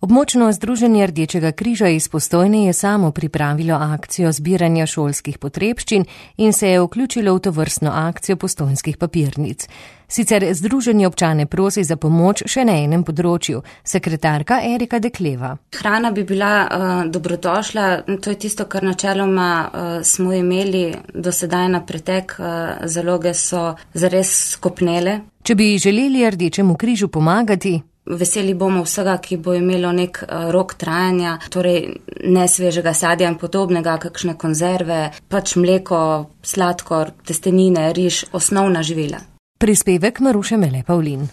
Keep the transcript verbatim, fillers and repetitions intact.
Območno združenje Rdečega križa iz Postojne je samo pripravilo akcijo zbiranja šolskih potrebščin in se je vključilo v tovrstno akcijo postojnskih papirnic. Sicer združenje občane prosi za pomoč še na enem področju, sekretarka Erika Dekleva. Hrana bi bila uh, dobrodošla, to je tisto, kar načeloma uh, smo imeli do sedaj na pretek, uh, zaloge so zares skopnele. Če bi želeli Rdečemu križu pomagati, veseli bomo vsega, ki bo imelo nek rok trajanja, torej nesvežega sadja in podobnega, kakšne konzerve, pač mleko, sladkor, testenine, riž, osnovna živila. Prispevek Maruše Mele Pavlin.